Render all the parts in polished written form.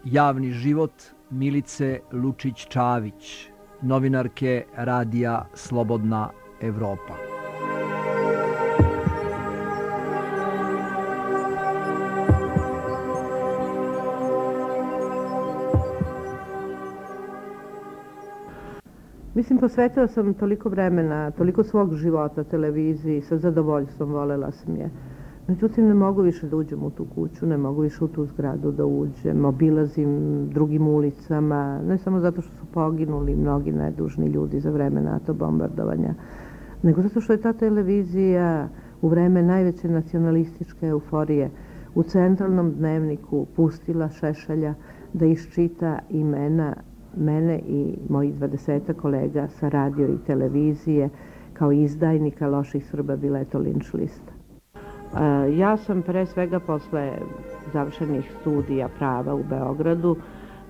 javni život Milice Lučić-Čavić, novinarke radija Slobodna Evropa. Mislim, posvetila sam toliko vremena, toliko svog života televiziji, sa zadovoljstvom volela sam je. Međutim, ne mogu više da uđem u tu kuću, ne mogu više u tu zgradu da uđem, obilazim drugim ulicama, ne samo zato što su poginuli mnogi nedužni ljudi za vreme NATO bombardovanja, nego zato što je ta televizija u vreme najveće nacionalističke euforije u centralnom dnevniku pustila Šešelja da iščita imena mene i mojih 20 kolega sa radio i televizije kao izdajnika loših Srba Bileto linč lista. Ja sam pre svega posle završenih studija prava u Beogradu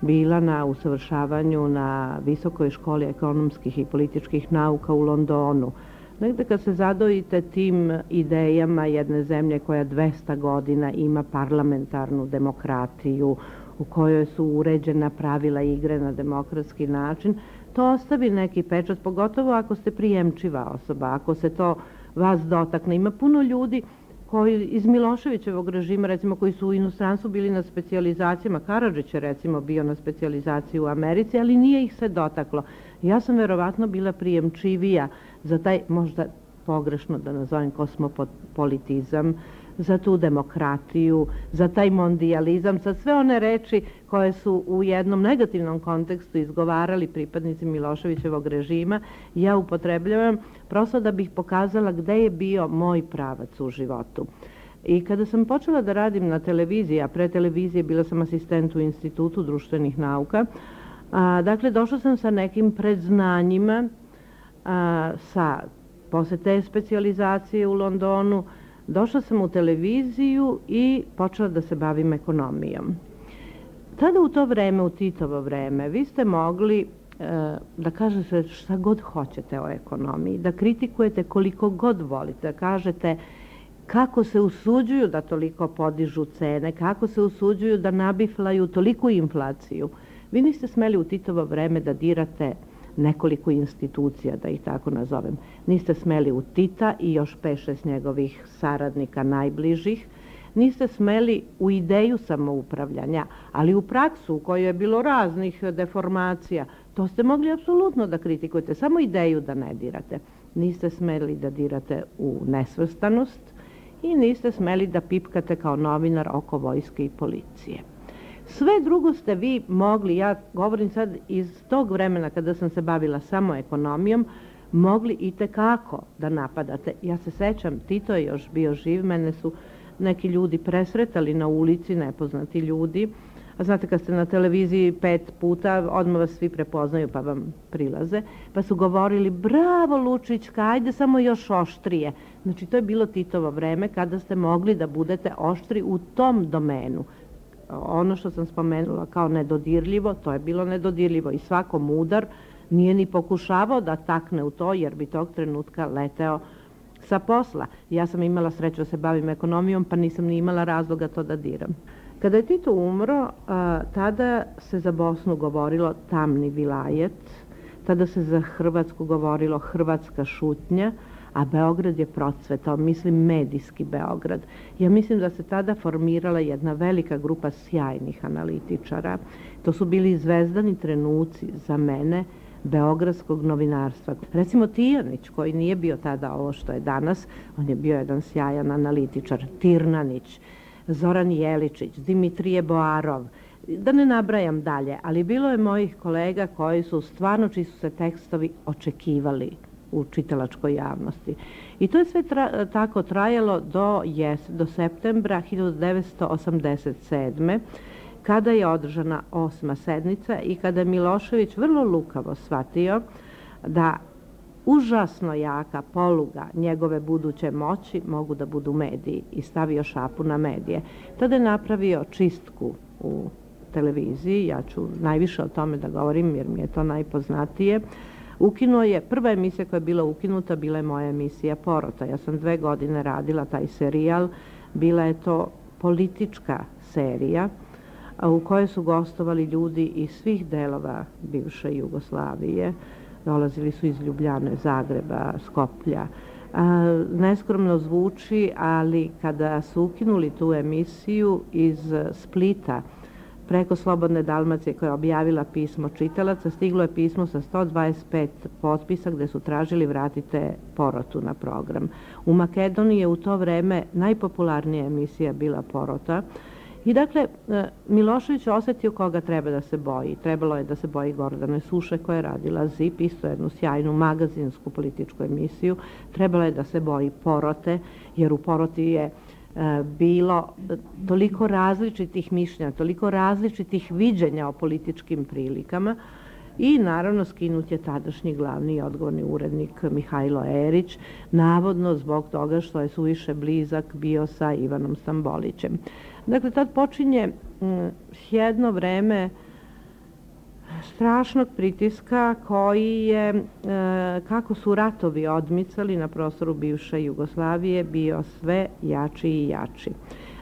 bila na usavršavanju na Visokoj školi ekonomskih i političkih nauka u Londonu. Negde kad se zadojite tim idejama jedne zemlje koja 200 godina ima parlamentarnu demokratiju, u kojoj su uređena pravila igre na demokratski način, to ostavi neki pečat, pogotovo ako ste prijemčiva osoba, ako se to vas dotakne. Ima puno ljudi koji iz Miloševićevog režima, recimo, koji su u inostranstvu bili na specijalizacijama. Karadžić je, recimo, bio na specijalizaciji u Americi, ali nije ih se dotaklo. Ja sam verovatno bila prijemčivija za taj, možda pogrešno da nazovem, kosmopolitizam, za tu demokratiju, za taj mondijalizam, za sve one reči koje su u jednom negativnom kontekstu izgovarali pripadnici Miloševićevog režima, ja upotrebljavam prosto da bih pokazala gde je bio moj pravac u životu. I kada sam počela da radim na televiziji, a pre televizije bila sam asistent u Institutu društvenih nauka, dakle, došla sam sa nekim predznanjima, posle te specijalizacije u Londonu, došla sam u televiziju i počela da se bavim ekonomijom. Tada u to vreme, u Titovo vreme, vi ste mogli da kažete šta god hoćete o ekonomiji, da kritikujete koliko god volite, da kažete kako se usuđuju da toliko podižu cene, kako se usuđuju da nabiflaju toliku inflaciju. Vi niste smeli u Titovo vreme da dirate nekoliko institucija, da ih tako nazovem. Niste smeli u Tita i još 5-6 njegovih saradnika najbližih. Niste smeli u ideju samoupravljanja, ali u praksu u kojoj je bilo raznih deformacija, to ste mogli apsolutno da kritikujete, samo ideju da ne dirate. Niste smeli da dirate u nesvrstanost i niste smeli da pipkate kao novinar oko vojske i policije. Sve drugo ste vi mogli, ja govorim sad iz tog vremena kada sam se bavila samo ekonomijom, mogli i tekako da napadate. Ja se sećam, Tito je još bio živ, mene su neki ljudi presretali na ulici, nepoznati ljudi. A znate, kad ste na televiziji 5 puta, odmah vas svi prepoznaju pa vam prilaze. Pa su govorili, bravo Lučićka, ajde samo još oštrije. Znači, to je bilo Titovo vreme kada ste mogli da budete oštri u tom domenu. Ono što sam spomenula kao nedodirljivo, to je bilo nedodirljivo i svako mudar nije ni pokušavao da takne u to, jer bi tog trenutka leteo sa posla. Ja sam imala sreću da se bavim ekonomijom, pa nisam ni imala razloga to da diram. Kada je Tito umro, tada se za Bosnu govorilo tamni vilajet, tada se za Hrvatsku govorilo hrvatska šutnja, a Beograd je procvetao, mislim medijski Beograd. Ja mislim da se tada formirala jedna velika grupa sjajnih analitičara. To su bili zvezdani trenuci za mene beogradskog novinarstva. Recimo Tijanić, koji nije bio tada ovo što je danas, on je bio jedan sjajan analitičar, Tirnanić, Zoran Jeličić, Dimitrije Boarov, da ne nabrajam dalje, ali bilo je mojih kolega koji su stvarno, čiji su se tekstovi očekivali u čitalačkoj javnosti. I to je sve tako trajalo do septembra 1987. kada je održana 8. sednica i kada je Milošević vrlo lukavo shvatio da užasno jaka poluga njegove buduće moći mogu da budu mediji i stavio šapu na medije. Tada je napravio čistku u televiziji, ja ću najviše o tome da govorim jer mi je to najpoznatije. Ukinuo je, prva emisija koja je bila ukinuta, bila je moja emisija Porota. Ja sam 2 godine radila taj serijal, bila je to politička serija u kojoj su gostovali ljudi iz svih delova bivše Jugoslavije. Dolazili su iz Ljubljane, Zagreba, Skoplja. Neskromno zvuči, ali kada su ukinuli tu emisiju iz Splita, preko Slobodne Dalmacije koja je objavila pismo čitalaca, stiglo je pismo sa 125 potpisa gde su tražili vratite Porotu na program. U Makedoniji je u to vreme najpopularnija emisija bila Porota. I dakle, Milošević osetio koga treba da se boji. Trebalo je da se boji Gordane Suše koja je radila ZIP, isto jednu sjajnu magazinsku političku emisiju. Trebalo je da se boji Porote, jer u Poroti je bilo toliko različitih mišljenja, toliko različitih viđenja o političkim prilikama i naravno skinut je tadašnji glavni i odgovorni urednik Mihajlo Erić, navodno zbog toga što je suviše blizak bio sa Ivanom Stambolićem. Dakle, tad počinje jedno vreme strašnog pritiska koji je, kako su ratovi odmicali na prostoru bivše Jugoslavije, bio sve jači i jači.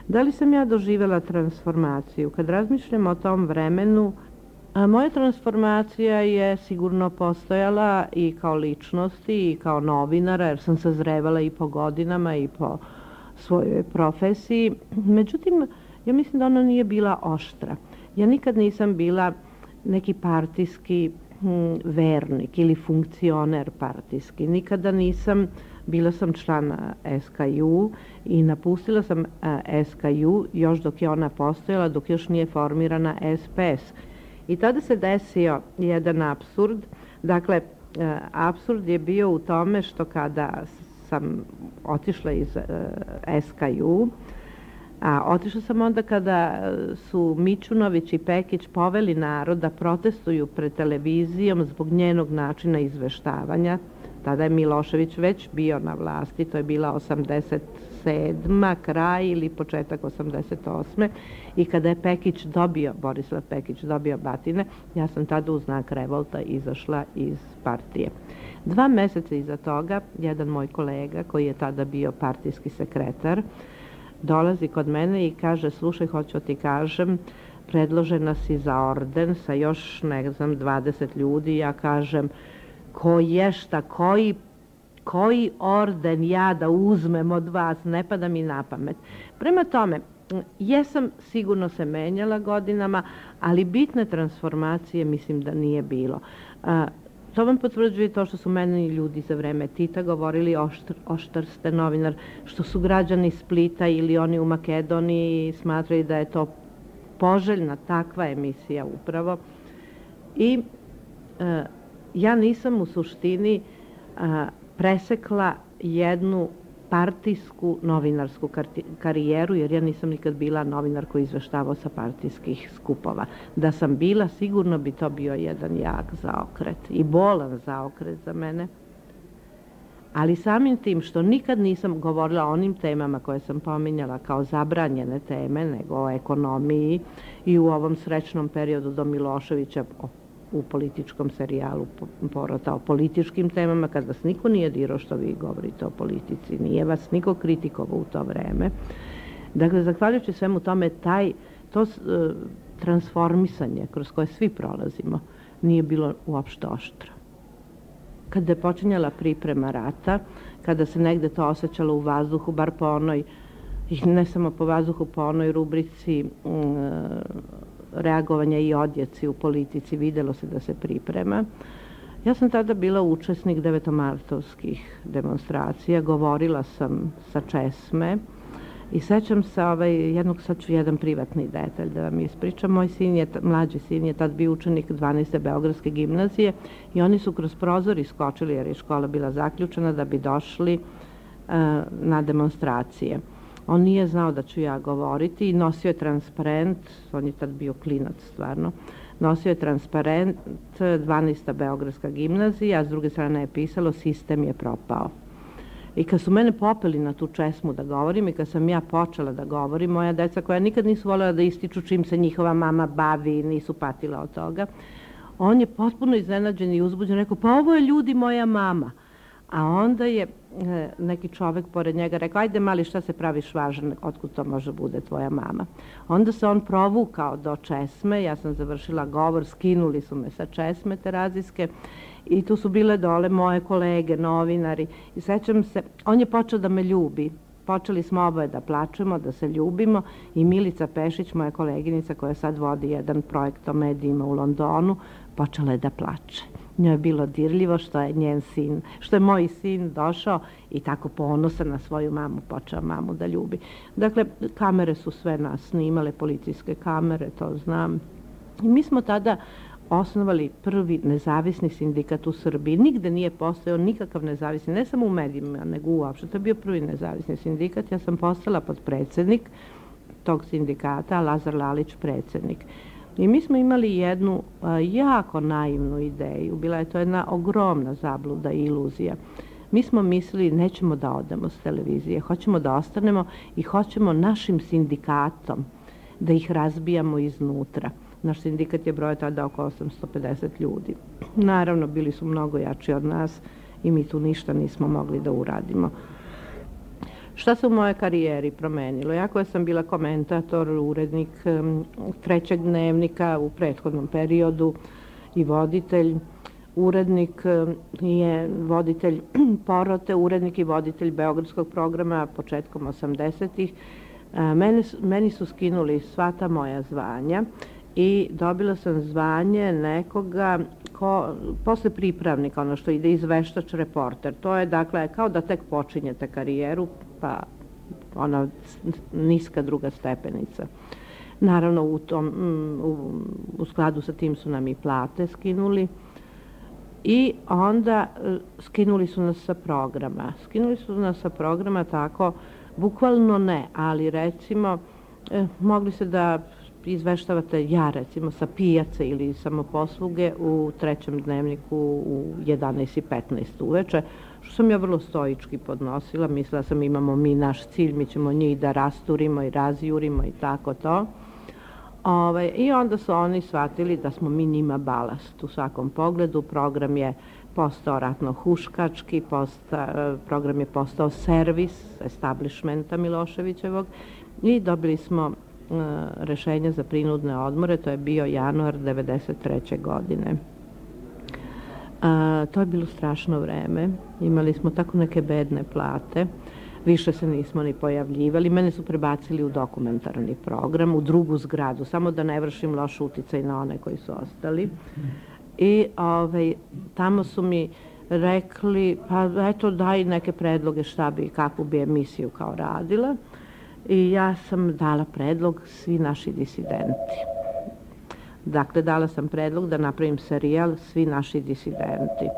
Da li sam ja doživjela transformaciju? Kad razmišljam o tom vremenu, moja transformacija je sigurno postojala i kao ličnosti i kao novinara, jer sam sazrevala i po godinama i po svojoj profesiji. Međutim, ja mislim da ona nije bila oštra. Ja nikad nisam bila neki partijski vernik ili funkcioner partijski. Nikada nisam, bila sam član SKJ i napustila sam SKJ još dok je ona postojala, dok još nije formirana SPS. I tada se desio jedan apsurd. Dakle, apsurd je bio u tome što kada sam otišla iz SKJ, otišla sam onda kada su Mićunović i Pekić poveli narod da protestuju pred televizijom zbog njenog načina izveštavanja. Tada je Milošević već bio na vlasti, to je bila 87. kraj ili početak 88. I kada je Pekić dobio, Borislav Pekić dobio batine, ja sam tada u znak revolta izašla iz partije. 2 meseca iza toga, jedan moj kolega koji je tada bio partijski sekretar, dolazi kod mene i kaže, slušaj, hoću ti kažem, predložena si za orden sa još, ne znam, 20 ljudi. Ja kažem, koji orden ja da uzmem od vas, ne pada mi na pamet. Prema tome, jesam sigurno se menjala godinama, ali bitne transformacije mislim da nije bilo. To vam potvrđuje to što su meni ljudi za vreme Tita govorili oštar ste novinar, što su građani Splita ili oni u Makedoniji smatrali da je to poželjna takva emisija upravo. I ja nisam u suštini presekla jednu partijsku novinarsku karijeru, jer ja nisam nikad bila novinar koji izveštavao sa partijskih skupova. Da sam bila, sigurno bi to bio jedan jak zaokret i bolan zaokret za mene. Ali samim tim što nikad nisam govorila o onim temama koje sam pominjala kao zabranjene teme, nego o ekonomiji i u ovom srećnom periodu do Miloševića u političkom serijalu Porota o političkim temama, kad vas niko nije dirao što vi govorite o politici, nije vas niko kritikovao u to vreme. Dakle, zahvaljujući svemu tome, to transformisanje kroz koje svi prolazimo nije bilo uopšte oštro. Kada je počinjala priprema rata, kada se negde to osjećalo u vazduhu, bar po onoj, i ne samo po vazduhu, po onoj rubrici reagovanja i odjeci u politici, videlo se da se priprema. Ja sam tada bila učesnik devetomartovskih demonstracija, govorila sam sa Česme i sećam se sad ću jedan privatni detalj da vam ispričam. Moj mlađi sin je tad bio učenik 12. Beogradske gimnazije i oni su kroz prozor iskočili jer je škola bila zaključena da bi došli na demonstracije. On nije znao da ću ja govoriti i nosio je transparent, on je tad bio klinac stvarno, nosio je transparent 12. Beogradska gimnazija, a s druge strane je pisalo sistem je propao. I kad su mene popeli na tu Česmu da govorim i kad sam ja počela da govorim, moja deca koja nikad nisu voljela da ističu čim se njihova mama bavi, nisu patila od toga, on je potpuno iznenađen i uzbuđen, rekao, pa ovo je ljudi moja mama. A onda je neki čovek pored njega rekao, ajde mali, šta se praviš važan, otkud to može bude tvoja mama. Onda se on provukao do česme, ja sam završila govor, skinuli su me sa česme terazijske i tu su bile dole moje kolege, novinari i sećam se, on je počeo da me ljubi. Počeli smo oboje da plačemo, da se ljubimo i Milica Pešić, moja koleginica koja sad vodi jedan projekt o medijima u Londonu, počela je da plače. Njoj je bilo dirljivo što je njen sin, što je moj sin došao i tako ponosan na svoju mamu, počeo mamu da ljubi. Dakle, kamere su sve nas snimale, policijske kamere, to znam. I mi smo tada osnovali prvi nezavisni sindikat u Srbiji. Nigde nije postojao nikakav nezavisni, ne samo u medijima, nego uopšte. To je bio prvi nezavisni sindikat. Ja sam postala podpredsednik tog sindikata, a Lazar Lalić predsednik. I mi smo imali jednu jako naivnu ideju. Bila je to jedna ogromna zabluda i iluzija. Mi smo mislili nećemo da odemo s televizije, hoćemo da ostanemo i hoćemo našim sindikatom da ih razbijamo iznutra. Naš sindikat je broj tada oko 850 ljudi. Naravno, bili su mnogo jači od nas i mi tu ništa nismo mogli da uradimo. Šta se u mojoj karijeri promenilo? Ja koja sam bila komentator, urednik Trećeg dnevnika u prethodnom periodu i voditelj, urednik je voditelj Porote, urednik i voditelj Beogradskog programa početkom 80-ih. Meni su skinuli sva ta moja zvanja i dobila sam zvanje nekoga posle pripravnika, ono što ide izveštač reporter. To je dakle kao da tek počinjete karijeru, pa ona niska druga stepenica. Naravno u skladu sa tim su nam i plate skinuli i onda skinuli su nas sa programa. Skinuli su nas sa programa tako, bukvalno ne, ali recimo mogli se da izveštavate, ja recimo sa pijace ili samoposluge u Trećem dnevniku u 11:15 uveče, što sam ja vrlo stoički podnosila. Mislila sam imamo mi naš cilj, mi ćemo njih da rasturimo i razjurimo i tako to. I onda su oni shvatili da smo mi njima balast u svakom pogledu. Program je postao ratno-huškački, program je postao servis establishmenta Miloševićevog i dobili smo rešenje za prinudne odmore, to je bio januar 1993. godine. To je bilo strašno vreme, imali smo tako neke bedne plate, više se nismo ni pojavljivali, mene su prebacili u dokumentarni program, u drugu zgradu, samo da ne vršim loš uticaj na one koji su ostali. I tamo su mi rekli, pa eto daj neke predloge šta bi, kakvu bi emisiju kao radila. I ja sam dala predlog Svi naši disidenti. Dakle, dala sam predlog da napravim serijal Svi naši disidenti.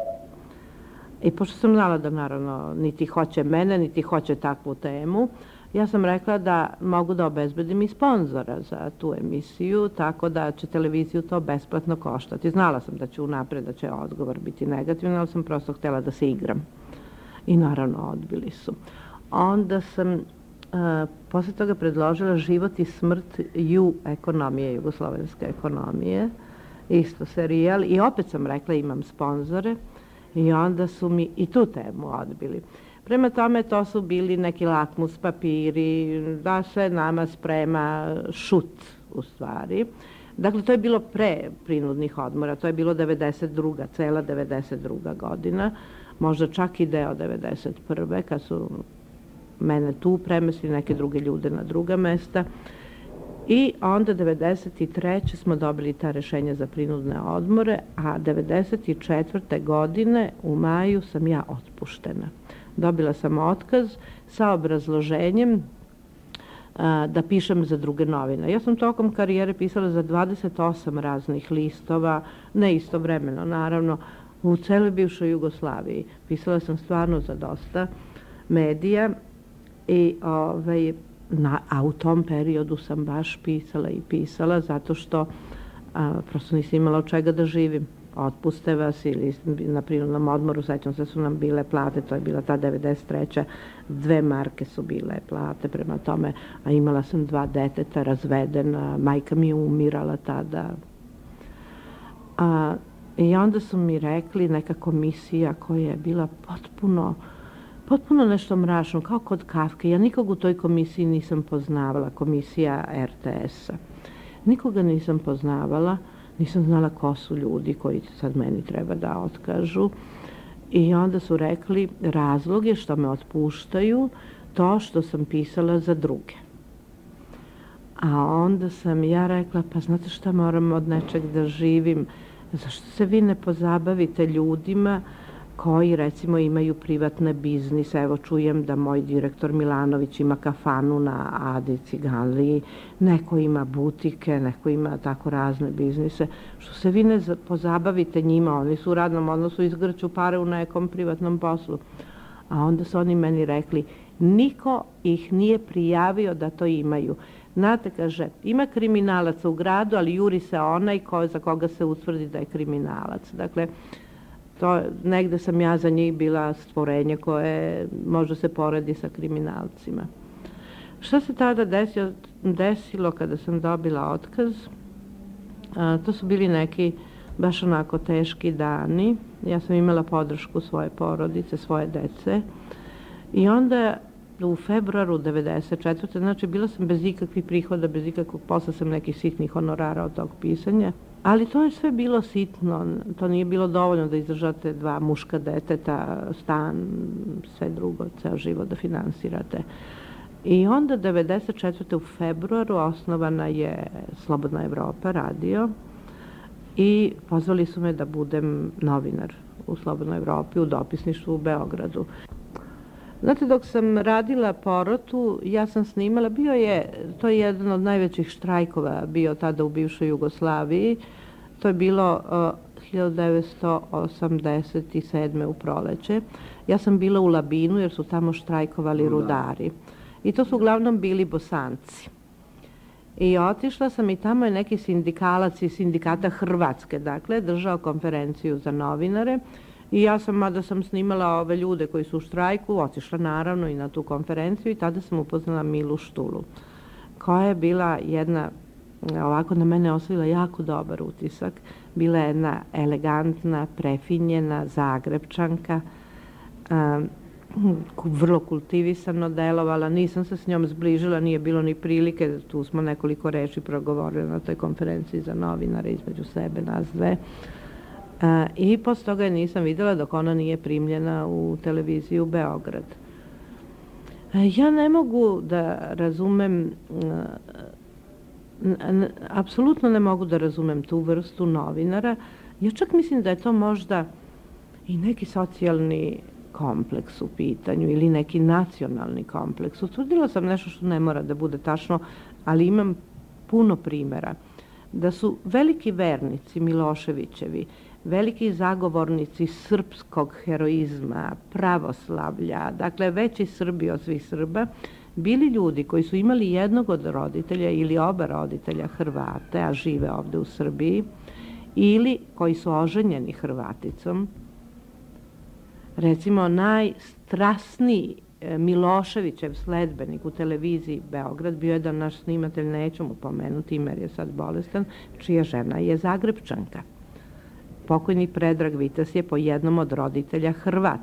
I pošto sam znala da naravno niti hoće mene, niti hoće takvu temu, ja sam rekla da mogu da obezbedim i sponzora za tu emisiju, tako da će televiziju to besplatno koštati. Znala sam da će unapred, da će odgovor biti negativan, ali sam prosto htjela da se igram. I naravno odbili su. Onda sam posle toga predložila Život i smrt ekonomije, jugoslovenske ekonomije, isto serijal, i opet sam rekla imam sponzore i onda su mi i tu temu odbili. Prema tome to su bili neki lakmus papiri, da se nama sprema šut u stvari. Dakle, to je bilo pre prinudnih odmora, to je bilo 92. cela 92. godina, možda čak i deo 91. kad su mene tu premestili, neke druge ljude na druga mesta. I onda 93. smo dobili ta rešenja za prinudne odmore, a 94. godine u maju sam ja otpuštena. Dobila sam otkaz sa obrazloženjem da pišem za druge novine. Ja sam tokom karijere pisala za 28 raznih listova, ne istovremeno naravno, u celoj bivšoj Jugoslaviji. Pisala sam stvarno za dosta medija i a u tom periodu sam baš pisala zato što prosto nisam imala od čega da živim. Otpuste vas ili na prinudnom odmoru, sećam se su nam bile plate, to je bila ta 93. 2 marke su bile plate, prema tome, a imala sam 2 deteta, razvedena, majka mi je umirala tada. I onda su mi rekli, neka komisija koja je bila potpuno nešto mračno, kao kod Kafke. Ja nikog u toj komisiji nisam poznavala, komisija RTS-a. Nikoga nisam poznavala, nisam znala ko su ljudi koji sad meni treba da otkažu. I onda su rekli, razlog je što me otpuštaju to što sam pisala za druge. A onda sam ja rekla, pa znate šta, moram od nečeg da živim. Zašto se vi ne pozabavite ljudima koji recimo imaju privatne biznise? Evo čujem da moj direktor Milanović ima kafanu na Adi Ciganliji, neko ima butike, neko ima tako razne biznise. Što se vi ne pozabavite njima? Oni su u radnom odnosu, izgrću pare u nekom privatnom poslu. A onda su oni meni rekli, niko ih nije prijavio da to imaju. Znate, kaže, ima kriminalaca u gradu, ali juri se onaj za koga se utvrdi da je kriminalac. Dakle, negde sam ja za njih bila stvorenje koje može se poredi sa kriminalcima. Šta se tada desilo kada sam dobila otkaz? To su bili neki baš onako teški dani. Ja sam imala podršku svoje porodice, svoje dece. I onda u februaru 1994. Znači bila sam bez ikakvih prihoda, bez ikakvog posla, sam nekih sitnih honorara od tog pisanja. Ali to je sve bilo sitno, to nije bilo dovoljno da izdržate 2 muška deteta, stan, sve drugo, ceo život da finansirate. I onda 1994. u februaru osnovana je Slobodna Evropa, radio, i pozvali su me da budem novinar u Slobodnoj Evropi, u dopisništvu u Beogradu. Znate, dok sam radila Porotu, ja sam snimala, to je jedan od najvećih štrajkova bio tada u bivšoj Jugoslaviji. To je bilo 1987. u proleće. Ja sam bila u Labinu jer su tamo štrajkovali rudari. I to su uglavnom bili Bosanci. I otišla sam i tamo je neki sindikalac iz sindikata Hrvatske, dakle, držao konferenciju za novinare. I ja sam, mada sam snimala ove ljude koji su u štrajku, otišla naravno i na tu konferenciju i tada sam upoznala Milu Štulu, koja je bila jedna, ovako na mene ostavila jako dobar utisak. Bila je jedna elegantna, prefinjena Zagrebčanka, vrlo kultivisano delovala, nisam se s njom zbližila, nije bilo ni prilike, tu smo nekoliko reči progovorili na toj konferenciji za novinare između sebe, nas dve. I posle toga je nisam videla dok ona nije primljena u televiziju Beograd. Ja ne mogu da razumem, apsolutno ne mogu da razumem tu vrstu novinara. Ja čak mislim da je to možda i neki socijalni kompleks u pitanju ili neki nacionalni kompleks. Utvrdila sam nešto što ne mora da bude tačno, ali imam puno primera da su veliki vernici Miloševićevi, veliki zagovornici srpskog heroizma, pravoslavlja, dakle veći Srbi od svih Srba, bili ljudi koji su imali jednog od roditelja ili oba roditelja Hrvate, a žive ovde u Srbiji, ili koji su oženjeni Hrvaticom. Recimo, najstrasniji Miloševićev sledbenik u televiziji Beograd bio je da naš snimatelj, neću mu pomenuti ime jer je sad bolestan, čija žena je Zagrebčanka. Pokojni Predrag Vites je po jednom od roditelja Hrvat.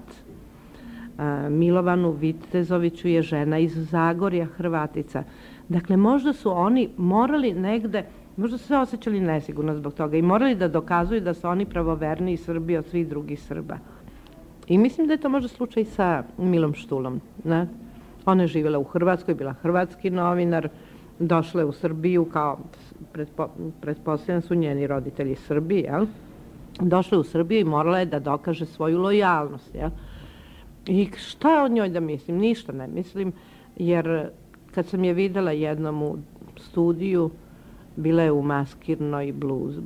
Milovanu Vitezoviću je žena iz Zagorja Hrvatica. Dakle, možda su oni morali negde, možda su se osjećali nesigurno zbog toga i morali da dokazuju da su oni pravoverniji Srbi od svih drugih Srba. I mislim da je to možda slučaj sa Milom Štulom. Ona je živjela u Hrvatskoj, bila hrvatski novinar, došla je u Srbiju kao, pretpostavljam su njeni roditelji Srbi, jel? Došla je u Srbiju i morala je da dokaže svoju lojalnost, jel? I šta o njoj da mislim? Ništa ne mislim, jer kad sam je videla jednom u studiju, bila je u maskirnoj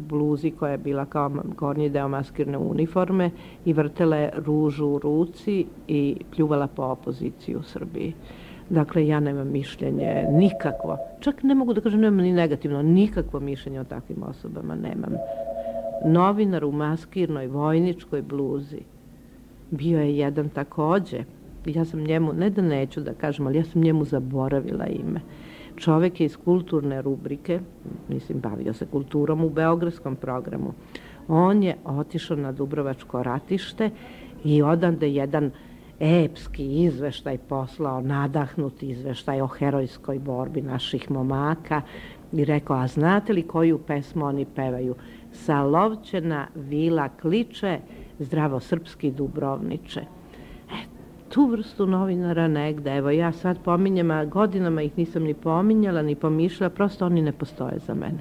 bluzi koja je bila kao gornji deo maskirne uniforme i vrtela je ružu u ruci i pljuvala po opoziciji u Srbiji. Dakle, ja nemam mišljenje nikakvo. Čak ne mogu da kažem nemam ni negativno, nikakvo mišljenje o takvim osobama nemam. Novinar u maskirnoj vojničkoj bluzi bio je jedan takođe. Ja sam njemu, ne da neću da kažem, ali ja sam njemu zaboravila ime. Čovek je iz kulturne rubrike, mislim, bavio se kulturom u beogradskom programu. On je otišao na Dubrovačko ratište i odande jedan epski izveštaj poslao, nadahnuti izveštaj o herojskoj borbi naših momaka i rekao, a znate li koju pesmu oni pevaju? Salovćena vila kliče, zdravo srpski Dubrovniče. Tu vrstu novinara negde, evo ja sad pominjem, a godinama ih nisam ni pominjala, ni pomišljala, prosto oni ne postoje za mene.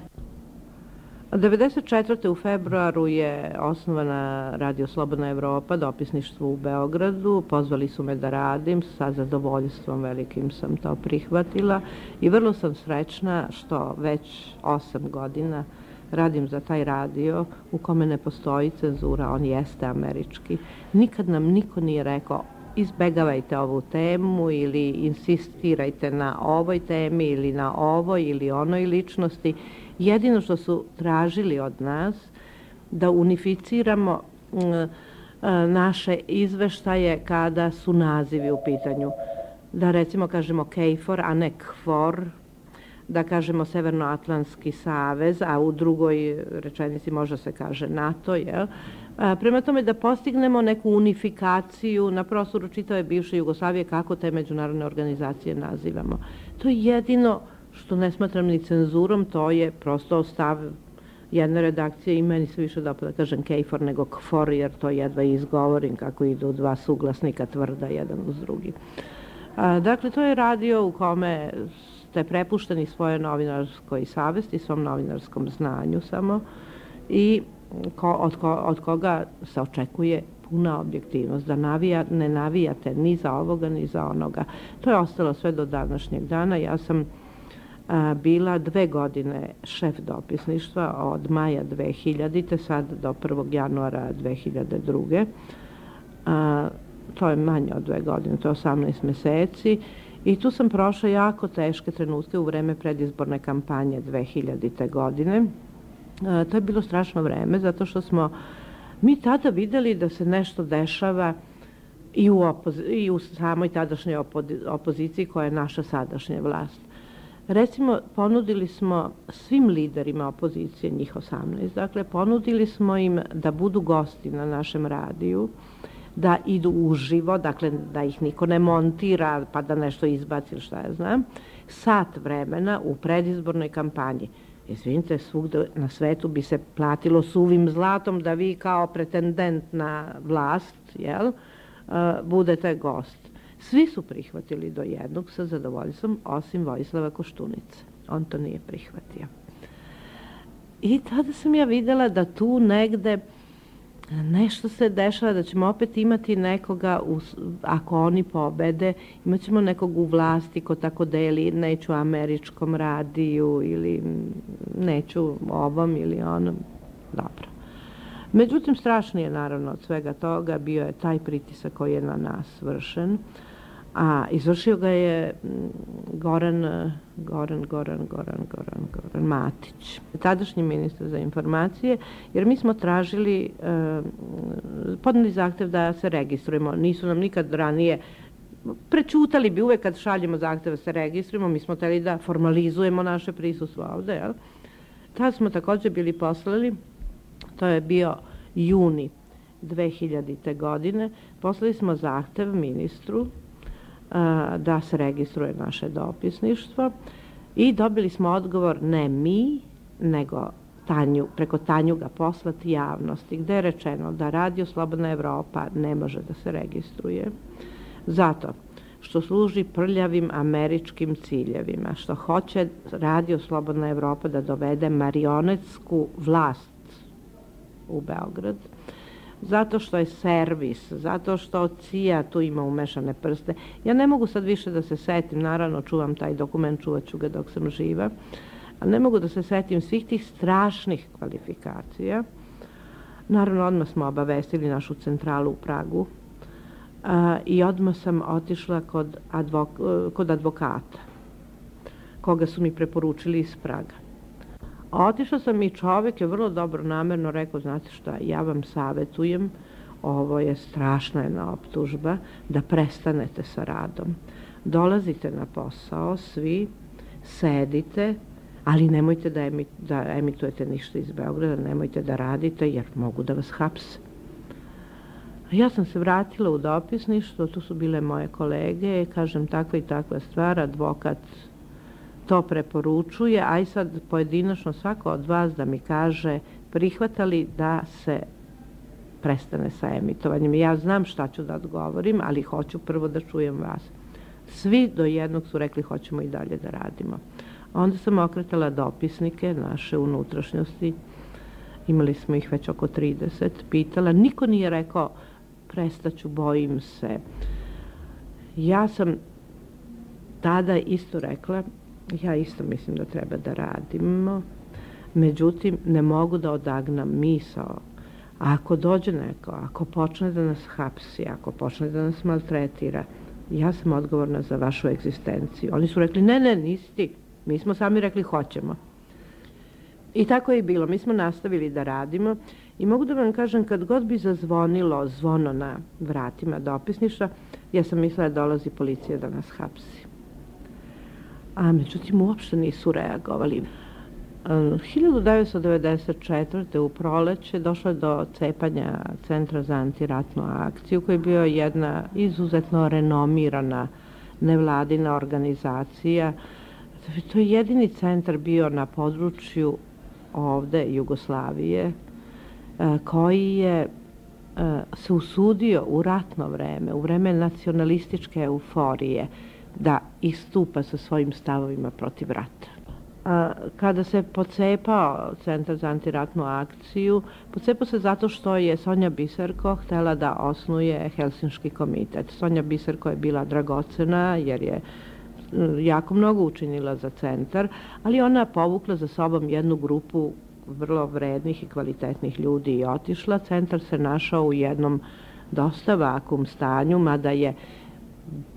1994. u februaru je osnovana Radio Slobodna Evropa, dopisništvo u Beogradu. Pozvali su me da radim, sa zadovoljstvom velikim sam to prihvatila i vrlo sam srećna što već 8 godina radim za taj radio u kome ne postoji cenzura, on jeste američki. Nikad nam niko nije rekao izbegavajte ovu temu ili insistirajte na ovoj temi ili na ovoj ili onoj ličnosti. Jedino što su tražili od nas da unificiramo naše izveštaje kada su nazivi u pitanju. Da recimo kažemo KFOR, a ne KFOR, da kažemo Severnoatlantski savez, a u drugoj rečenici može se kaže NATO, jel? Prema tome da postignemo neku unifikaciju na prostoru čitave bivše Jugoslavije kako te međunarodne organizacije nazivamo. To je jedino što ne smatram ni cenzurom, to je prosto stav jedne redakcije i meni se više dopada da kažem KFOR nego KFOR, jer to jedva izgovorim kako idu dva suglasnika tvrda jedan uz drugi. Dakle, to je radio u kome ste prepušteni svoje novinarskoj savesti, svom novinarskom znanju samo i od koga se očekuje puna objektivnost, da ne navijate ni za ovoga ni za onoga. To je ostalo sve do današnjeg dana. Ja sam bila 2 godine šef dopisništva od maja 2000. sad do 1. januara 2002. To je manje od 2 godine, to je 18 meseci. I tu sam prošla jako teške trenutke u vreme predizborne kampanje 2000. godine. To je bilo strašno vreme, zato što smo mi tada videli da se nešto dešava i u samoj tadašnjoj opoziciji koja je naša sadašnja vlast. Recimo, ponudili smo svim liderima opozicije, njih 18, dakle, ponudili smo im da budu gosti na našem radiju, da idu uživo, dakle, da ih niko ne montira pa da nešto izbaci ili šta ja znam, sat vremena u predizbornoj kampanji. Izvinite, svugde na svetu bi se platilo suvim zlatom da vi kao pretendent na vlast, jel, budete gost. Svi su prihvatili do jednog sa zadovoljstvom, osim Vojislava Koštunice. On to nije prihvatio. I tada sam ja videla da tu negde nešto se dešava, da ćemo opet imati nekoga, ako oni pobede, imat ćemo nekog u vlasti ko tako deli, neću američkom radiju ili neću ovom ili onom. Dobro. Međutim, strašnije naravno od svega toga bio je taj pritisak koji je na nas vršen, a izvršio ga je Goran Matić, tadašnji ministar za informacije, jer mi smo tražili, podneli zahtev da se registrujemo. Nisu nam nikad ranije, prećutali bi uvek kad šaljemo zahtev da se registrujemo, mi smo hteli da formalizujemo naše prisustvo ovde, jel? Tada smo također bili poslali, to je bio juni 2000. godine, poslali smo zahtev ministru da se registruje naše dopisništvo i dobili smo odgovor ne mi, nego preko Tanjuga poslati javnosti, gde je rečeno da Radio Slobodna Evropa ne može da se registruje zato što služi prljavim američkim ciljevima, što hoće Radio Slobodna Evropa da dovede marionetsku vlast u Beograd, zato što je servis, zato što CIA tu ima umešane prste. Ja ne mogu sad više da se setim, naravno čuvam taj dokument, čuvat ću ga dok sam živa, ali ne mogu da se setim svih tih strašnih kvalifikacija. Naravno, odmah smo obavestili našu centralu u Pragu i odmah sam otišla kod advokata, koga su mi preporučili iz Praga. Otišla sam i čovjek je vrlo dobro namerno rekao, znate šta, ja vam savjetujem, ovo je strašna jedna optužba, da prestanete sa radom. Dolazite na posao, svi, sedite, ali nemojte da emitujete ništa iz Beograda, nemojte da radite jer mogu da vas hapse. Ja sam se vratila u dopisništvo, tu su bile moje kolege, kažem takva i takva stvar, advokat to preporučuje, a i sad pojedinačno svako od vas da mi kaže prihvatali da se prestane sa emitovanjem. Ja znam šta ću da odgovorim, ali hoću prvo da čujem vas. Svi do jednog su rekli hoćemo i dalje da radimo. Onda sam okretala dopisnike naše unutrašnjosti, imali smo ih već oko 30, pitala, niko nije rekao prestaću, bojim se. Ja sam tada isto rekla, ja isto mislim da treba da radimo, međutim ne mogu da odagnam misao. Ako dođe neko, ako počne da nas hapsi, ako počne da nas maltretira, ja sam odgovorna za vašu egzistenciju. Oni su rekli, ne, nisi ti. Mi smo sami rekli hoćemo. I tako je i bilo. Mi smo nastavili da radimo i mogu da vam kažem, kad god bi zazvonilo zvono na vratima dopisništva, ja sam mislila da dolazi policija da nas hapsi. A međutim, uopšte nisu reagovali. 1994. u proleće došlo je do cepanja Centra za antiratnu akciju, koji je bio jedna izuzetno renomirana nevladina organizacija. To je jedini centar bio na području ovde Jugoslavije koji je se usudio u ratno vreme, u vreme nacionalističke euforije, da istupa sa svojim stavovima protiv rata. Kada se pocepao Centar za antiratnu akciju, pocepao se zato što je Sonja Biserko htela da osnuje Helsinški komitet. Sonja Biserko je bila dragocena jer je jako mnogo učinila za centar, ali ona povukla za sobom jednu grupu vrlo vrednih i kvalitetnih ljudi i otišla. Centar se našao u jednom dosta vakum stanju, mada je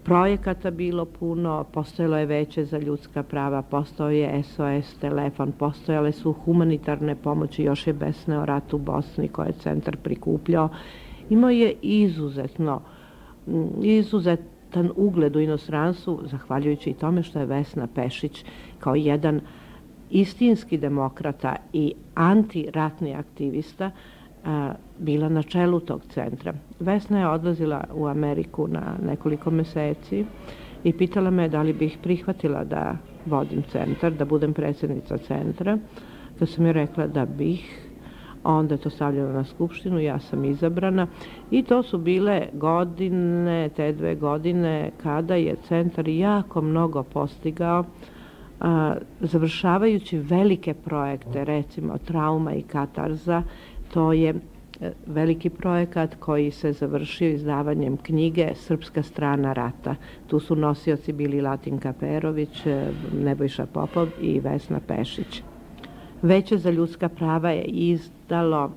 projekata bilo puno, postojalo je Veće za ljudska prava, postojao je SOS telefon, postojale su humanitarne pomoći, još je besneo rat u Bosni koje je centar prikupljao. Imao je izuzetan ugled u inostranstvu, zahvaljujući i tome što je Vesna Pešić kao jedan istinski demokrata i antiratni aktivista bila na čelu tog centra. Vesna je odlazila u Ameriku na nekoliko meseci i pitala me da li bih prihvatila da vodim centar, da budem predsjednica centra. Kad sam joj rekla da bih, onda je to stavljeno na skupštinu, ja sam izabrana i to su bile godine, te 2 godine kada je centar jako mnogo postigao, završavajući velike projekte, recimo Trauma i Katarza. To je veliki projekat koji se završio izdavanjem knjige Srpska strana rata. Tu su nosioci bili Latinka Perović, Nebojša Popov i Vesna Pešić. Veće za ljudska prava je izdalo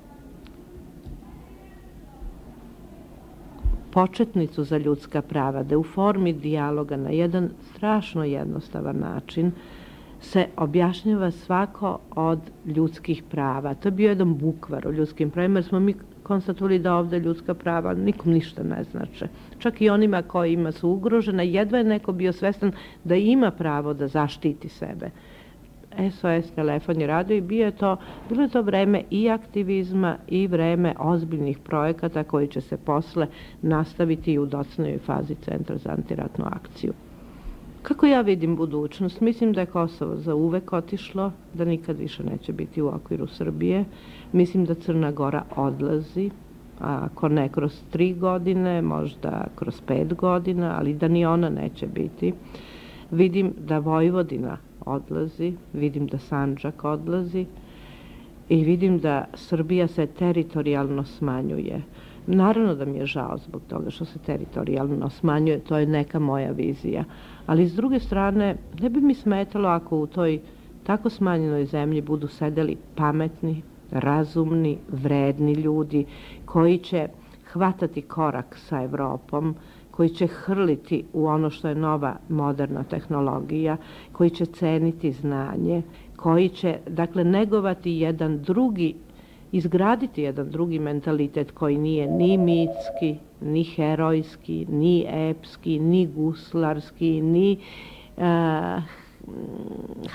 početnicu za ljudska prava, da u formi dijaloga na jedan strašno jednostavan način se objašnjava svako od ljudskih prava. To je bio jedan bukvar o ljudskim pravima, jer smo mi konstatovali da ovde ljudska prava nikom ništa ne znače. Čak i onima kojima su ugrožena, jedva je neko bio svestan da ima pravo da zaštiti sebe. SOS telefon je radio i bilo je to vreme i aktivizma i vreme ozbiljnih projekata koji će se posle nastaviti i u docenoj fazi Centra za antiratnu akciju. Kako ja vidim budućnost? Mislim da je Kosovo za uvek otišlo, da nikad više neće biti u okviru Srbije. Mislim da Crna Gora odlazi, ako ne kroz 3 godine, možda kroz 5 godina, ali da ni ona neće biti. Vidim da Vojvodina odlazi, vidim da Sandžak odlazi i vidim da Srbija se teritorijalno smanjuje. Naravno da mi je žao zbog toga što se teritorijalno smanjuje, to je neka moja vizija. Ali s druge strane, ne bi mi smetalo ako u toj tako smanjenoj zemlji budu sedeli pametni, razumni, vredni ljudi koji će hvatati korak sa Evropom, koji će hrliti u ono što je nova moderna tehnologija, koji će ceniti znanje, koji će, dakle, negovati jedan drugi, izgraditi jedan drugi mentalitet koji nije ni mitski, ni herojski, ni epski, ni guslarski, ni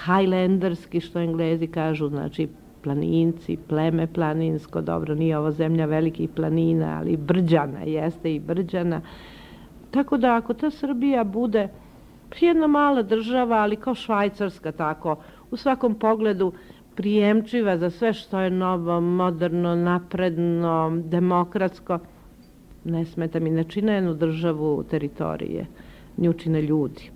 highlanderski, što Englezi kažu, znači planinci, pleme planinsko, dobro, nije ovo zemlja velikih planina, ali brđana, jeste i brđana. Tako da ako ta Srbija bude jedna mala država, ali kao Švajcarska tako, u svakom pogledu prijemčiva za sve što je novo, moderno, napredno, demokratsko, ne smeta mi, ne čine jednu državu teritorije, nju čine ljudi.